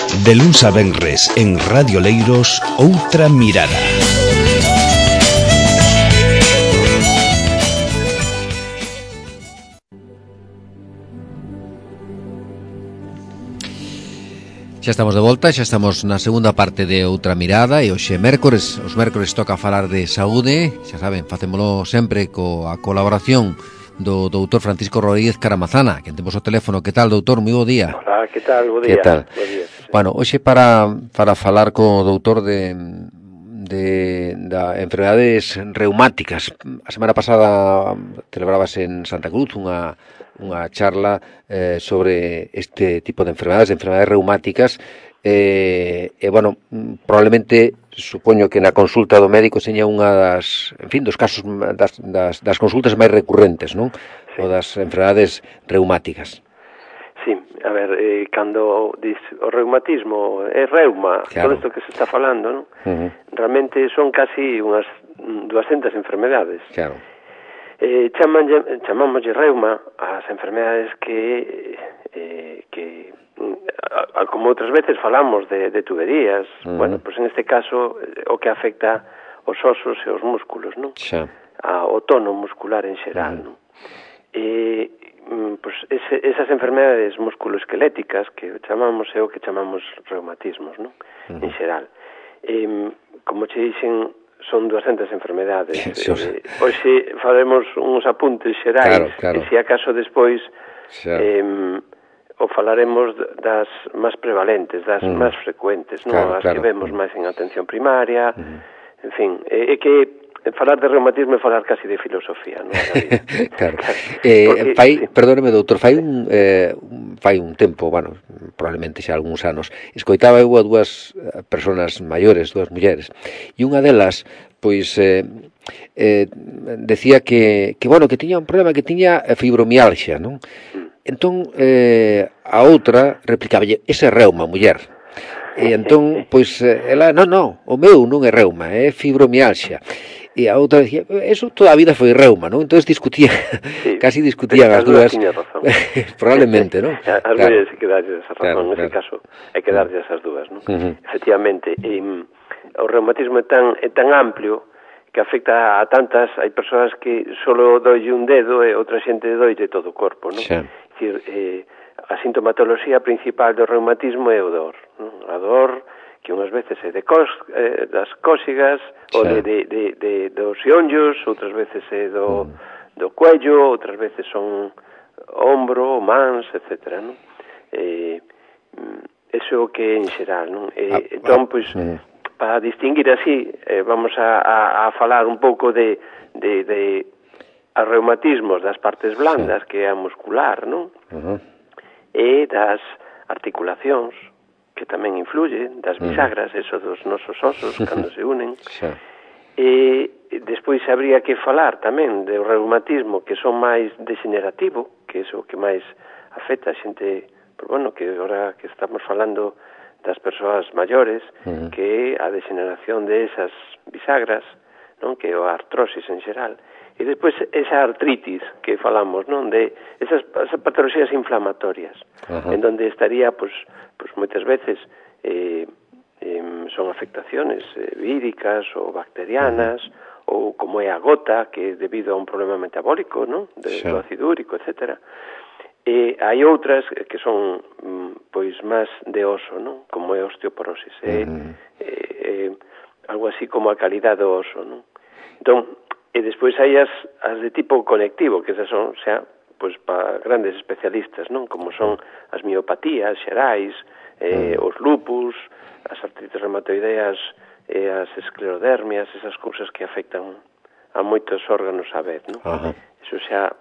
De luns a venres en Radio Leiros, Outra Mirada. Xa estamos de volta, xa estamos na segunda parte de Outra Mirada e hoxe mércores, os mércores toca falar de saúde, xa saben, facémolo sempre coa colaboración do doutor Francisco Rodríguez Caramazana, que temos o teléfono. Que tal, doutor? Moi bo día. Hola, que tal? Bo día. Que tal? Bo día, sí. Bueno, hoxe para falar co doutor de enfermedades reumáticas. A semana pasada celebrábase en Santa Cruz unha charla sobre este tipo de enfermedades reumáticas bueno, probablemente supoño que na consulta do médico seña unha dos casos das consultas máis recurrentes, non? Sí. O das enfermedades reumáticas. Sí, a ver, cando diz o reumatismo é reuma, claro, todo isto que se está falando, non? Realmente son casi unhas 200 enfermedades. Claro. Chamámoslle reuma ás enfermedades que como outras veces falamos de tuberías, bueno, pues en este caso o que afecta os osos e os músculos, non? Xa. O tono muscular en xeral, non? Pues esas enfermedades musculoesqueléticas que chamamos é o que chamamos reumatismos, non? En xeral. Como che dixen, son 200 enfermedades. Hoxe faremos uns apuntes xerais, claro. E se acaso despois o falaremos das máis prevalentes, das máis frecuentes, non? As que vemos máis en atención primaria, en fin, é que falar de reumatismo é falar casi de filosofía, non? Claro. Perdóneme, doutor, fai un tempo, bueno, probablemente xa algúns anos, escoitaba eu a dúas persoas maiores, dúas mulleres, e unha delas, pois, decía que tiña un problema, que tiña fibromialgia, non? Entón, a outra replicaballe, ese é reuma, muller. E entón, pois, ela, non, o meu non é reuma, é fibromialgia. E a outra decía, eso toda a vida foi reuma, non? Entón discutían, sí, casi discutían as dúas. Probablemente, non? As mulleres hai que darlle esa razón, nese caso hai que darlle esas dúas, non? Efectivamente, o reumatismo é tan amplio que afecta a tantas, hai persoas que solo doille un dedo e outra xente doille todo o corpo, non? É dicir, a sintomatoloxía principal do reumatismo é o dor, non? A dor que unhas veces é das cósigas, ou dos xeonllos, outras veces é do cuello, outras veces son ombro, mans, etc., non? Eso é o que é en xeral, non? Entón, pois, para distinguir así, vamos a falar un pouco de reumatismos das partes blandas, que é a muscular, non? E das articulacións, que tamén influye, das bisagras, eso dos nosos osos, cando se unen. E despois habría que falar tamén do reumatismo, que son máis degenerativo, que é o que máis afecta a xente, pero bueno, que agora que estamos falando das persoas maiores, que é a degeneración de esas bisagras, non? Que é a artrosis en xeral. E despois esa artritis que falamos, non? De esas patologías inflamatorias, en donde estaría, pues moitas veces son afectaciones víricas ou bacterianas, ou como é a gota, que é debido a un problema metabólico, non? Do ácido úrico, etcétera. E hai outras que son pois máis de oso, non? Como é a osteoporosis, algo así como a calidad do oso, non? Entón, e despois hai as de tipo conectivo, que esas son xa pois para grandes especialistas, non? Como son as miopatías xerais, os lupus, as artritis reumatoideas e as esclerodermias, esas cousas que afectan a moitos órganos á vez, non? Eso xa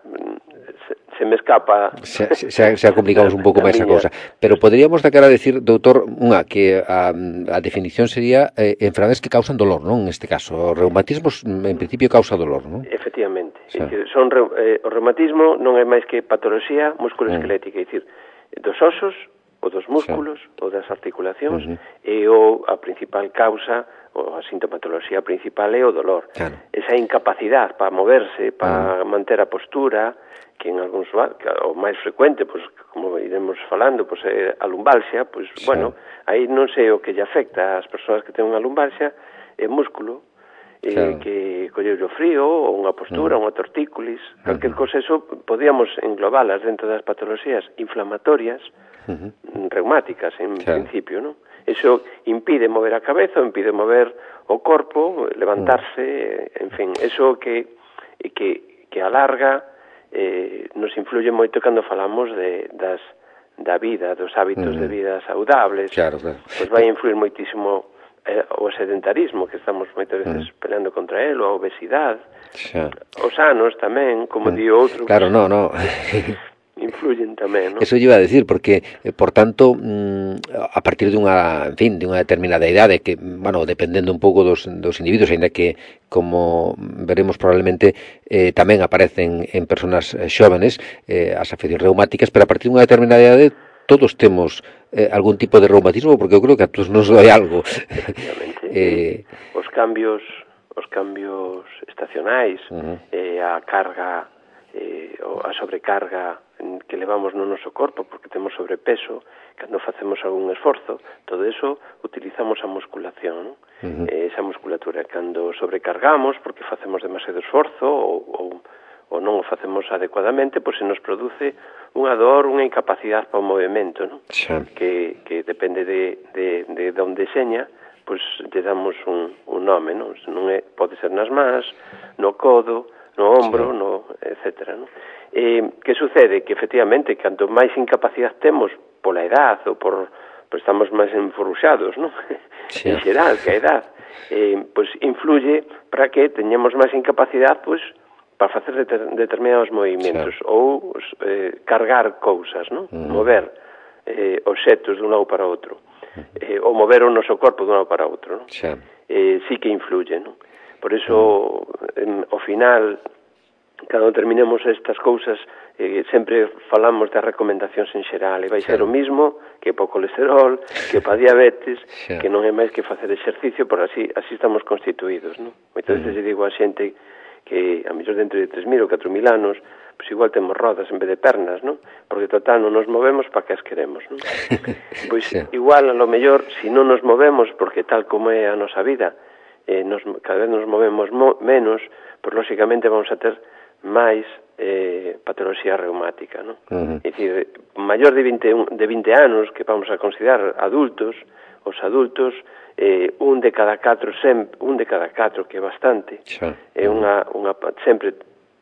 se me escapa. Xa complicamos un pouco máis a cousa. Pero poderíamos de cara a decir, doutor, que a definición sería enfermedades que causan dolor, non? Neste caso, o reumatismo en principio causa dolor, non? Efectivamente. O reumatismo non é máis que patoloxía musculoesquelética, é dicir, dos osos o dos músculos ou das articulacións, e a principal causa, ou a sintomatoloxía principal é o dolor. Esa incapacidade para moverse, para manter a postura, que en algúns, o máis frecuente, pois, como iremos falando, pois, é a lumbalxia, pois, bueno, aí non sei o que lle afecta ás persoas que ten unha lumbalxia, é músculo, que coller o frío, ou unha postura, unha tortícolis, calquer cosa, eso podíamos englobalas dentro das patoloxías inflamatorias, reumáticas, en principio, non? Eso impide mover a cabeza, impide mover o corpo, levantarse, en fin, eso que alarga, nos influye moito cando falamos da vida, dos hábitos de vida saudables, pois vai influir moitísimo o sedentarismo, que estamos moitas veces peleando contra él, ou a obesidade, os anos tamén, como di outro, influyen tamén, ¿no? Eso yo iba a decir, porque, por tanto, a partir de unha determinada idade, que, bueno, dependendo un pouco dos individuos, ainda que, como veremos probablemente, tamén aparecen en personas xóvenes as afeccións reumáticas, pero a partir de unha determinada idade todos temos algún tipo de reumatismo, porque eu creo que a todos nos doi algo. Os cambios estacionais, a carga, a sobrecarga que levamos no noso corpo, porque temos sobrepeso, cando facemos algún esforzo, todo eso utilizamos a musculación, esa musculatura. Cando sobrecargamos, porque facemos demasiado esforzo, ou non o facemos adecuadamente, pois se nos produce unha dor, unha incapacidade para o movimento, non? Que depende de onde seña, pois lle damos un nome, non? Pode ser nas mans, no codo, no ombro, etcétera, non? Que sucede? Que, efectivamente, canto máis incapacidade temos pola edad ou estamos máis enforuxados, non? En xeral, que a edad, pois influye para que teñamos máis incapacidade, pois, para facer determinados movimentos ou cargar cousas, non? Mover obxetos dun lado para outro, ou mover o noso corpo dun lado para outro, non? Sí que influye, non? Por iso, ao final, cando terminemos estas cousas, sempre falamos das recomendacións en xeral, e vai ser o mismo que para o colesterol, que para a diabetes, que non é máis que facer exercicio, por así estamos constituídos, non? Moitas veces digo a xente que a mellor dentro de 3.000 ou 4.000 anos, pois igual temos rodas en vez de pernas, non? Porque total non nos movemos para que as queremos, non? Pois igual, a lo mellor, se non nos movemos, porque tal como é a nosa vida, cada vez nos movemos menos, pois lóxicamente vamos a ter máis patoloxía reumática, non? É dicir, maior de 20 anos, que vamos a considerar adultos, os adultos, un de cada 4, que é bastante, sempre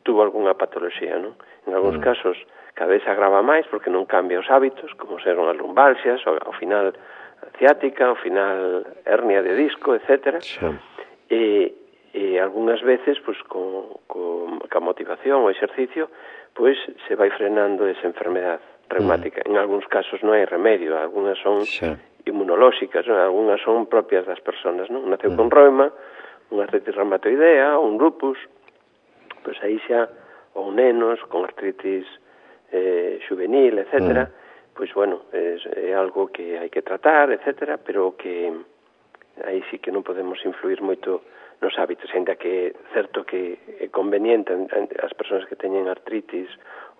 tuvo algunha patoloxía, non? En algúns casos, cada vez se agrava máis, porque non cambia os hábitos, como serán as lumbalxias, ao final ciática, ao final hernia de disco, etcétera. E algunhas veces, pois, ca motivación ou exercicio, pois se vai frenando esa enfermedade reumática. En algúns casos non hai remedio, algunhas son inmunolóxicas, non? Algunhas son propias das persoas, non? Naceu con reuma, unha artritis reumatoidea, un lupus, pois aí xa, ou nenos con artritis juvenil, etcétera, pois, bueno, é algo que hai que tratar, etcétera, pero que aí sí que non podemos influir moito nos hábitos, ainda que é certo que é conveniente as persoas que teñen artritis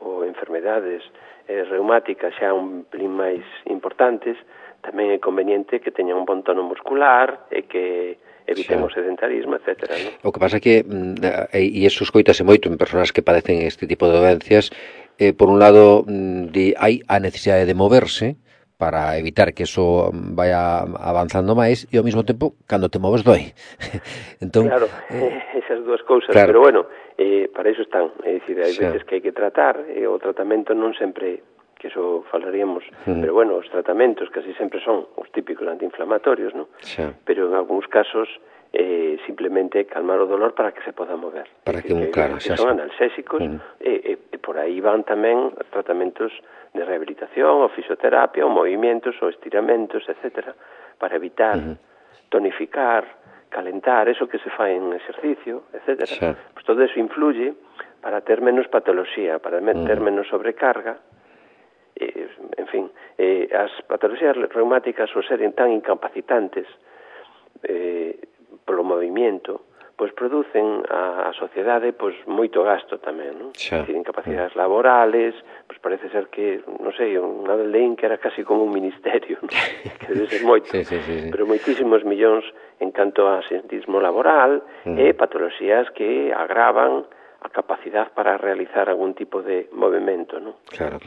ou enfermedades reumáticas xa un pelín máis importantes, tamén é conveniente que teñan un bon tono muscular e que eviten o sedentarismo, etcétera, ¿no? O que pasa é que, e iso escoitase moito en persoas que padecen este tipo de dolencias, por un lado, hai a necesidade de moverse para evitar que eso vaya avanzando máis, e ao mesmo tempo, cando te moves doi. Entón, claro, esas dúas cousas, claro. Pero bueno, para iso están, é dicir, hai veces que hai que tratar, e o tratamento non sempre, que iso falaríamos, pero bueno, os tratamentos casi sempre son os típicos antiinflamatorios, ¿no? Pero en algúns casos simplemente calmar o dolor para que se poda mover. Para que claro, que son analxésicos, e por aí van tamén tratamentos de rehabilitación, ou fisioterapia, ou movimientos, ou estiramentos, etcétera, para evitar, tonificar, calentar, eso que se fai en exercicio, etcétera. Pues todo eso influye para ter menos patoloxía, para ter menos sobrecarga, en fin, As patoloxías reumáticas, ao seren tan incapacitantes polo movimento, pois producen a sociedade pois moito gasto tamén, non? Dicir, incapacidades laborales, pois parece ser que, non sei, unha vez leín que era casi como un ministerio, non? Que debe ser moito, pero moitísimos millóns en canto a asentismo laboral e patoloxías que agravan a capacidade para realizar algún tipo de movimento, non? Claro.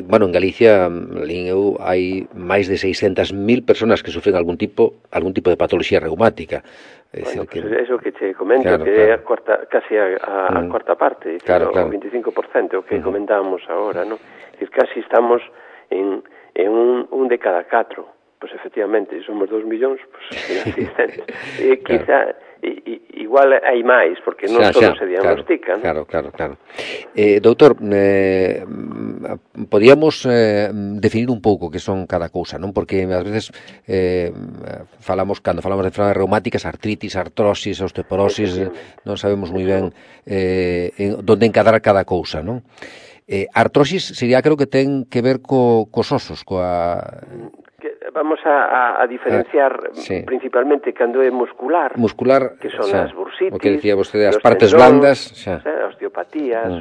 Bueno, en Galicia, eu, hai máis de 600.000 personas que sufren algún tipo de patoloxía reumática. Bueno, pues eso que che comento, que é casi a cuarta parte, o 25%, o que comentábamos agora, non? Casi estamos en un de cada 4. Pois efectivamente, somos 2 millóns, pois quizá igual hai máis, porque non todo se diagnostican. Claro. Doutor, podíamos definir un pouco que son cada cousa, non? Porque ás veces cando falamos de enfermedades reumáticas, artritis, artrosis, osteoporosis, non sabemos moi ben onde encadrar cada cousa, non? Artrosis sería, creo que ten que ver cos osos, Vamos a diferenciar principalmente cando é muscular, que son as bursitis, o que decía vostede, as partes blandas, as osteopatías,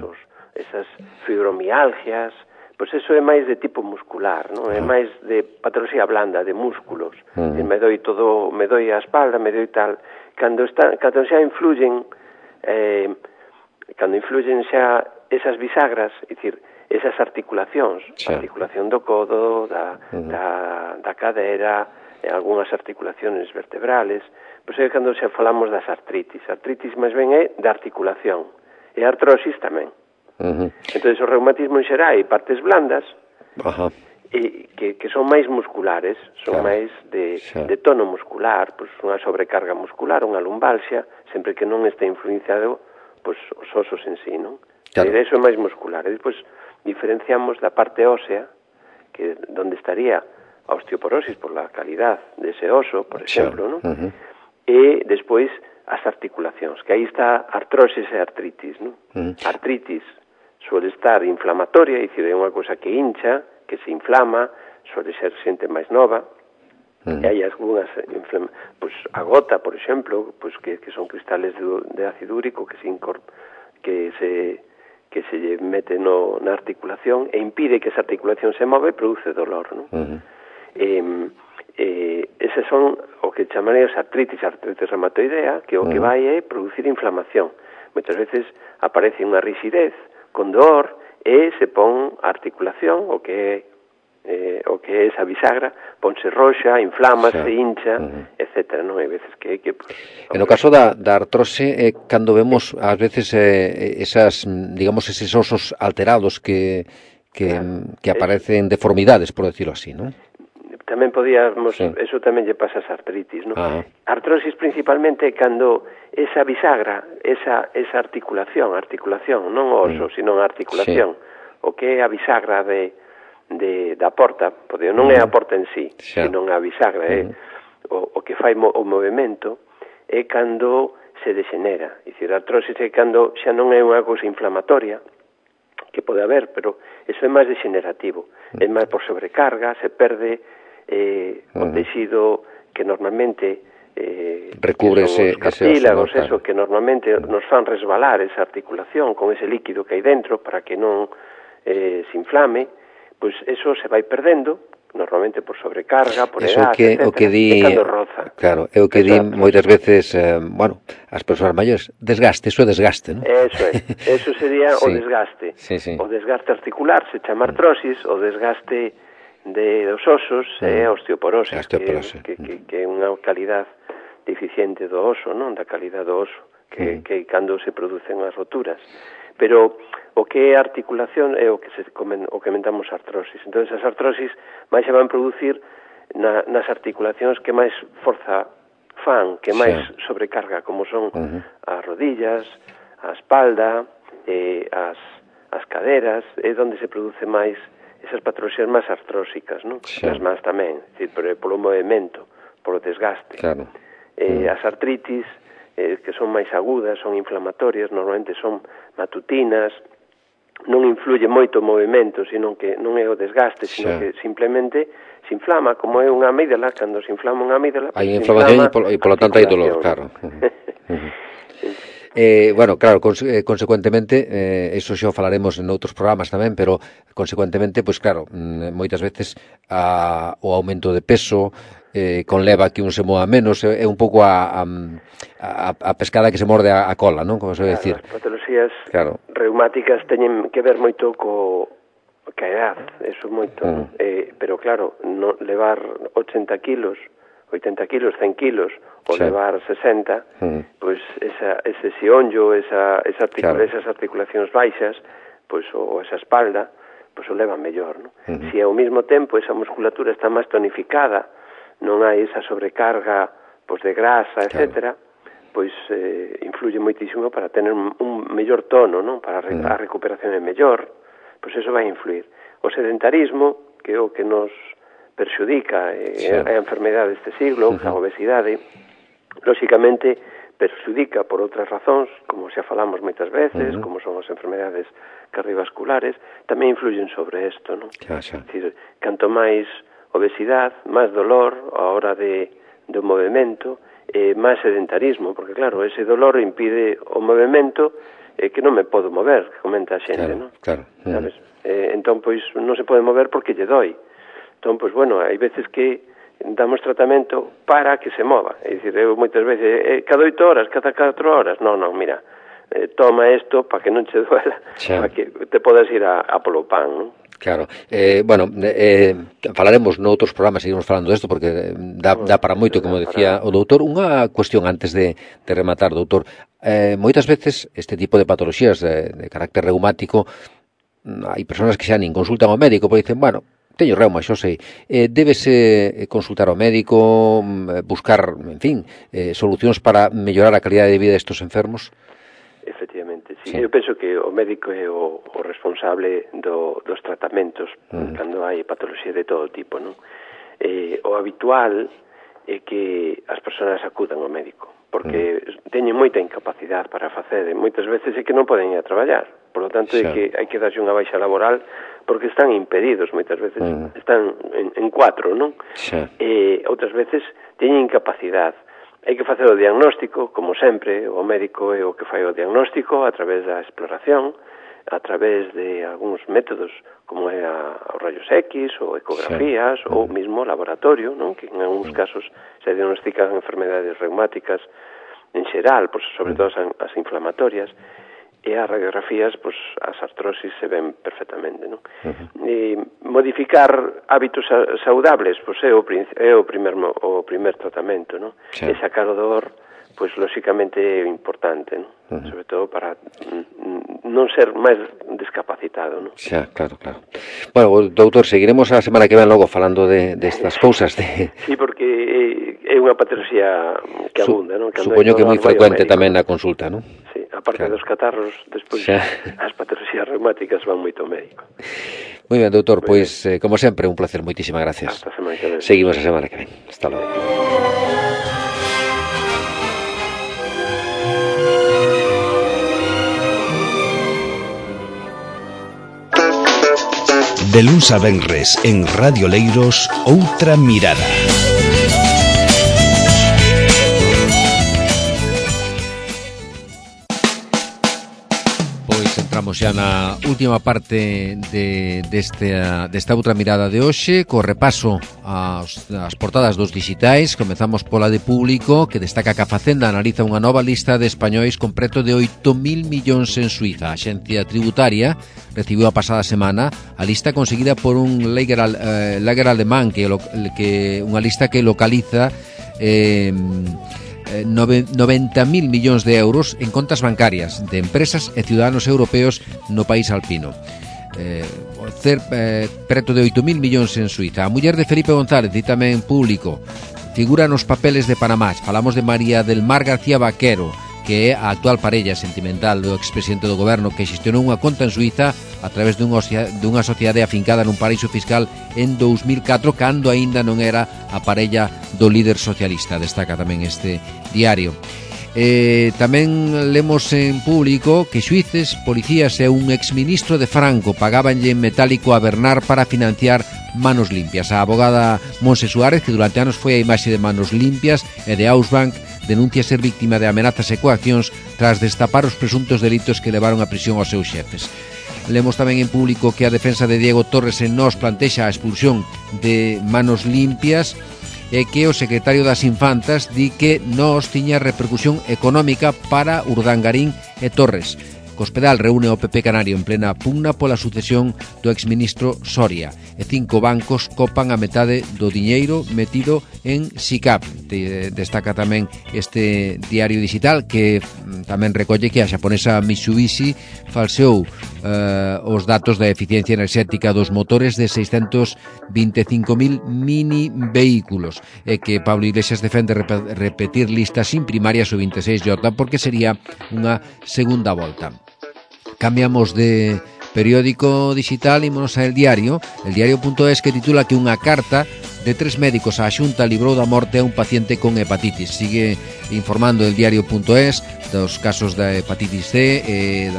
esas fibromialgias, pois eso é máis de tipo muscular, non? É máis de patoloxía blanda, de músculos. Me doi a espalda, me doi tal. Cando xa influyen, xa esas bisagras, é dicir, esas articulacións, a articulación do codo, da cadera, algunhas articulaciones vertebrales, pois é cando xa falamos das artritis. Artritis máis ben é da articulación, e artrosis tamén. Entón, o reumatismo en xeral hai partes blandas, que son máis musculares, son máis de tono muscular, pois unha sobrecarga muscular, unha lumbalgia, sempre que non este influenciado pois os osos en sí, non? Eso é máis muscular. E despois diferenciamos da parte ósea, que donde estaría a osteoporosis por la calidad dese oso, por exemplo, non? E despois as articulacións, que aí está artrosis e artritis, non? Artritis suele estar inflamatoria, é dicir, é unha cousa que hincha, que se inflama, suele ser xente máis nova, e hai algunhas, pois a gota, por exemplo, pois que son cristales de ácido úrico que se mete na articulación e impide que esa articulación se move e produce dolor, non? Esas son o que chamaríamos artritis reumatoidea, que o que vai é producir inflamación. Moitas veces aparece unha rigidez con dor e se pon a articulación, o que é esa bisagra, ponse roxa, inflamase, hincha, etcétera, non? Hai veces que hai que... En o caso da artrose, cando vemos, ás veces, esas, digamos, eses osos alterados que aparecen deformidades, por decirlo así, non? Tamén podíamos, eso tamén lle pasa as artritis, non? Artrosis principalmente cando esa bisagra, esa articulación, non o oso, sino a articulación, o que é a bisagra da porta, porque non é a porta en sí, senón a bisagra, o que fai o movimento, é cando se degenera. É dicir, a artrosis é cando xa non é unha cousa inflamatoria, que pode haber, pero eso é máis degenerativo, é máis por sobrecarga, se perde o tecido que normalmente recubre ese cartílagos, eso que normalmente nos fan resbalar esa articulación con ese líquido que hai dentro para que non se inflame, pois eso se vai perdendo, normalmente por sobrecarga, por edad, etcétera, e cando roza. Claro, é o que di moitas veces, as persoas maiores, desgaste, eso é desgaste, non? Eso sería o desgaste. O desgaste articular se chama artrosis, o desgaste dos osos é a osteoporosis, que é unha calidad deficiente do oso, non? Da calidad do oso, que cando se producen as roturas. Pero o que é articulación é o que comentamos artrosis. Entón, as artrosis máis se van producir nas articulacións que máis forza fan, que máis sobrecarga, como son as rodillas, a espalda, as caderas, é onde se produce máis esas patoloxías máis artrósicas, non? As más tamén, polo movimento, polo desgaste. As artritis, que son máis agudas, son inflamatorias, normalmente son matutinas, non influye moito o movimento, sino que non é o desgaste, sino que simplemente se inflama, como é unha amígdala, cando se inflama unha amígdala... Hai inflamación e, polo tanto, hai dolor, claro. Bueno, claro, consecuentemente, eso xa o falaremos en outros programas tamén, pero consecuentemente, pois claro, moitas veces o aumento de peso conleva que un se mova menos, é un pouco a pescada que se morde a cola, non? Como se vai decir. As patoloxías reumáticas teñen que ver moito ca edad, eso moito, pero claro, no levar 80 kilos, 100 kilos, ou levar 60, pois ese xionllo, esas articulacións baixas, pois ou esa espalda, pois o leva mellor, non? Se ao mesmo tempo esa musculatura está máis tonificada, non hai esa sobrecarga pois de grasa, etcétera, pois influye moitísimo para tener un mellor tono, non? Para a recuperación é mellor, pois eso vai influir. O sedentarismo, que é o que nos perxudica a enfermedade deste siglo, a obesidade, lóxicamente perxudica por outras razóns, como xa falamos moitas veces, como son as enfermedades cardiovasculares, tamén influyen sobre isto, non? É dicir, canto máis obesidade, máis dolor a hora do movimento, máis sedentarismo, porque claro, ese dolor impide o movimento que non me podo mover, que comenta a xente, non? Claro. Sabes? Entón, pois, non se pode mover porque lle doi. Entón, pois, bueno, hai veces que damos tratamento para que se mova. É dicir, eu moitas veces, cada 8 horas, cada 4 horas, non, mira, toma isto para que non che duela, para que te podas ir a polo pan, non? Claro, bueno, falaremos noutros programas, seguimos falando desto, porque dá para moito, como decía o doutor. Unha cuestión antes de rematar, doutor. Moitas veces este tipo de patoloxías de carácter reumático, hai persoas que xa nin consultan ao médico, porque dicen, bueno, teño reuma, xo sei, débese consultar ao médico, buscar, en fin, solucións para mellorar a calidade de vida destes enfermos? Efectivamente, sí. Eu penso que o médico é o responsable dos tratamentos cando hai patoloxía de todo tipo, non? O habitual é que as persoas acudan ao médico, porque teñen moita incapacidade para facer, moitas veces é que non poden ir a traballar, por lo tanto é que hai que darse unha baixa laboral porque están impedidos, moitas veces están en 4, non? Outras veces teñen incapacidade. Hai que facer o diagnóstico, como sempre, o médico é o que fai o diagnóstico a través da exploración, a través de algúns métodos, como é os rayos X, ou ecografías, ou mesmo laboratorio, non? Que en algúns casos se diagnostican enfermedades reumáticas en xeral, pois, sobre todo as inflamatorias, e as radiografías, pois, as artrosis se ven perfectamente, non? Modificar hábitos saudables, pois, é o primer tratamento, non? E sacar o dor, pois, lóxicamente é importante, non? Sobre todo para non ser máis discapacitado, non? Xa, claro. Bueno, doutor, seguiremos a semana que ven logo falando destas cousas. Sí, porque é unha patoloxía que abunda, non? Supoño que é moi frecuente tamén na consulta, non? Sí, aparte dos catarros, despois as patoloxías reumáticas van moito ao médico. Moi ben, doutor, pois, como sempre, un placer, moitísimas gracias. Hasta a semana que ven. Seguimos a semana que ven. Hasta logo. De luns a venres en Radio Leiros, Outra Mirada. Pois entramos xa na última parte desta outra mirada de hoxe, co repaso ás portadas dos digitais. Comezamos pola de Público, que destaca que a Facenda analiza unha nova lista de españois con preto de 8.000 millóns en Suiza. A Axencia Tributaria recibiu a pasada semana a lista conseguida por un lager alemán, que unha lista que localiza 90.000 millóns de euros en contas bancarias de empresas e ciudadanos europeos no país alpino. Preto de 8.000 millóns en Suiza. A muller de Felipe González, e tamén Público, figura nos papeles de Panamá. Falamos de María del Mar García Vaquero, que é a actual parella sentimental do expresidente do goberno, que xestionou unha conta en Suiza a través dunha sociedade afincada nun paraíso fiscal en 2004, cando aínda non era a parella do líder socialista. Destaca tamén este diario. Tamén lemos en público que xuíces, policías e un exministro de Franco pagabanlle en metálico a Bernard para financiar Manos Limpias. A abogada Monse Suárez, que durante anos foi a imaxe de Manos Limpias e de Ausbank, denuncia ser víctima de amenazas e coaccións tras destapar os presuntos delitos que levaron a prisión aos seus xefes. Lemos tamén en público que a defensa de Diego Torres en Nós plantexa a expulsión de Manos Limpias e que o secretario das Infantas di que Nós tiña repercusión económica para Urdangarín e Torres. Cospedal reúne o PP Canario en plena pugna pola sucesión do exministro Soria e 5 bancos copan a metade do diñeiro metido en SICAP. Destaca tamén este diario digital que tamén recolle que a xaponesa Mitsubishi falseou os datos da eficiencia enerxética dos motores de 625.000 mini vehículos e que Pablo Iglesias defende repetir listas sin primarias o 26J porque sería unha segunda volta. Cambiamos de periódico digital e ímonos a El Diario.es, que titula que unha carta de 3 médicos á Xunta librou da morte a un paciente con hepatitis. Sigue informando El Diario.es dos casos da hepatitis C e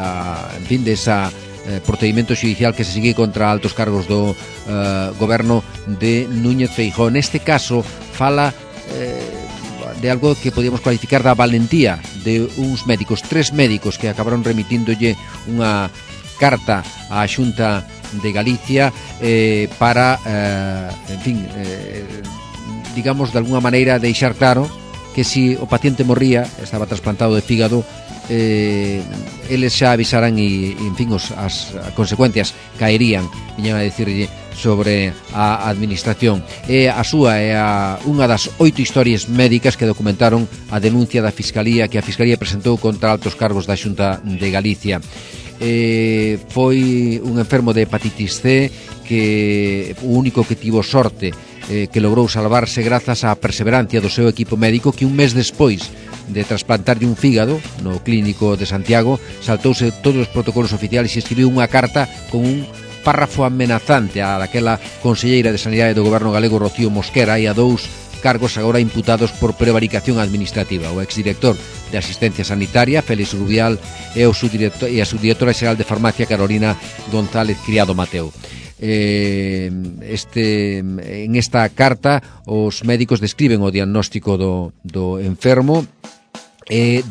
desa procedimento xudicial que se sigue contra altos cargos do goberno de Núñez Feijóo. Neste caso fala de algo que podíamos cualificar da valentía de uns médicos, 3 médicos que acabaron remitíndolle unha carta á Xunta de Galicia para, digamos, de alguna maneira deixar claro que si o paciente morría, estaba trasplantado de fígado, eles xa avisaran e, as consecuencias caerían, viñan a decirlle sobre a administración. A súa é unha das 8 historias médicas que documentaron a denuncia da Fiscalía que a Fiscalía presentou contra altos cargos da Xunta de Galicia. Foi un enfermo de hepatitis C que o único que tivo sorte que logrou salvarse grazas á perseverancia do seu equipo médico, que un mes despois de trasplantarlle un fígado no clínico de Santiago saltouse todos os protocolos oficiales e escribiu unha carta con un párrafo amenazante a daquela conselleira de Sanidade do goberno galego Rocío Mosquera e a 2 cargos agora imputados por prevaricación administrativa, o exdirector de Asistencia Sanitaria Félix Rubial e a subdirectora xeral de Farmacia Carolina González Criado Mateo. En esta carta os médicos describen o diagnóstico do enfermo e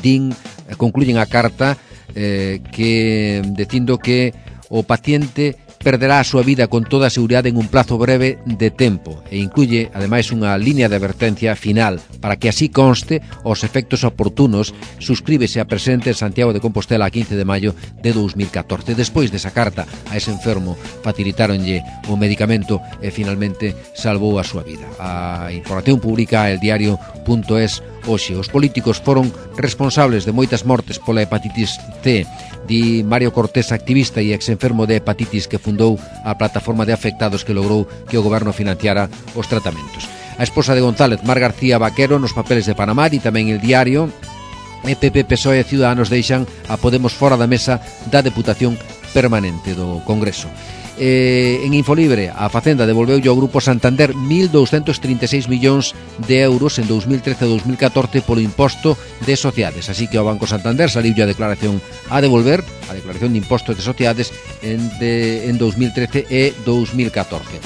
concluyen a carta que dicindo que o paciente perderá a súa vida con toda a seguridade en un plazo breve de tempo e incluye, ademais, unha línea de advertencia final para que así conste os efectos oportunos. Suscríbese a presente en Santiago de Compostela a 15 de maio de 2014. Despois desa carta a ese enfermo facilitáronlle o medicamento e finalmente salvou a súa vida. A información pública El Diario.es hoxe. Os políticos foron responsables de moitas mortes pola hepatitis C, di Mario Cortés, activista e exenfermo de hepatitis que fundou a plataforma de afectados que logrou que o goberno financiara os tratamentos. A esposa de González, Mar García Vaquero, nos papeles de Panamá e tamén El Diario, PP, PSOE e Ciudadanos deixan a Podemos fora da mesa da Deputación Permanente do Congreso. En Infolibre, a Facenda devolveulle ao Grupo Santander 1.236 millóns de euros en 2013 e 2014 polo imposto de sociedades. Así que ao Banco Santander saliulle a declaración a devolver, a declaración de impostos de sociedades en 2013 e 2014.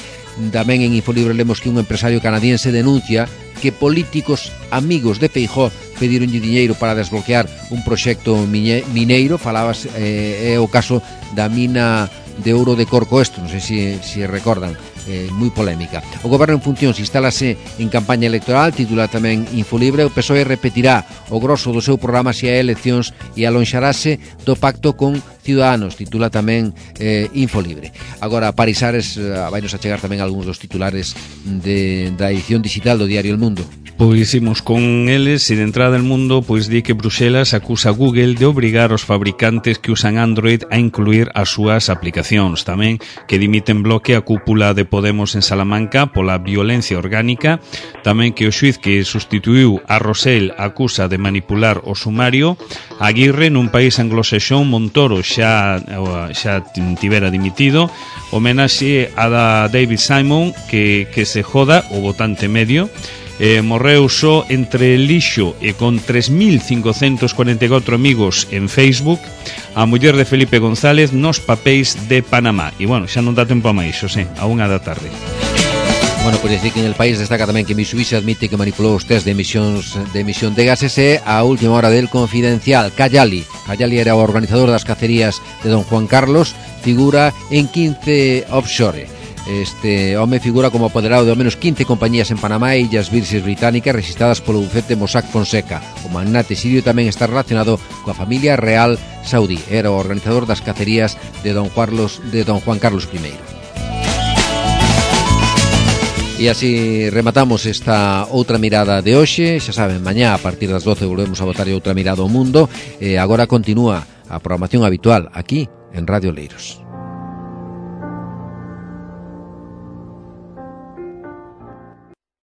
Tamén en Infolibre lemos que un empresario canadiense denuncia que políticos amigos de Feijóo pedironlle diñeiro para desbloquear un proxecto mineiro. Falabas, é o caso da mina de ouro de Corcoesto, non sei se recordan, moi polémica. O goberno en funcións instálase en campaña electoral, titula tamén Infolibre. O PSOE repetirá o grosso do seu programa se hai eleccións e alonxarase do pacto con Ciudadanos, titula tamén Infolibre. Agora, Paris Ares vai nos achegar tamén algúns dos titulares da edición digital do diario El Mundo. Pois imos con eles e de entrada El Mundo pois di que Bruxelas acusa a Google de obrigar os fabricantes que usan Android a incluir as súas aplicacións. Tamén que dimiten bloque a cúpula de Podemos en Salamanca pola violencia orgánica. Tamén que o xuiz que sustituiu a Rosell acusa de manipular o sumario. Aguirre, nun país anglosaxón, Montoro xa tivera dimitido. Homenaxe a David Simon que se joda o votante medio. Morreu só entre lixo e con 3.544 amigos en Facebook. A muller de Felipe González nos papéis de Panamá. E bueno, xa non dá tempo a máis, Xosé, a 1 da tarde. Bueno, pues decir que en el país destaca tamén que Mitsubishi admite que manipulou os test de emisión de gases e a última hora del Confidencial. Cayali era o organizador das cacerías de Don Juan Carlos, figura en 15 offshore. Este home figura como apoderado de ao menos 15 compañías en Panamá e Illas Virxes Británicas registradas polo bufete Mossack Fonseca. O magnate sirio tamén está relacionado coa familia real saudí. Era o organizador das cacerías de Don Juan Carlos I. E así rematamos esta outra mirada de hoxe. Xa saben, mañá a partir das 12 volvemos a botar outra mirada ao mundo. Agora continúa a programación habitual aquí en Radio Leiros.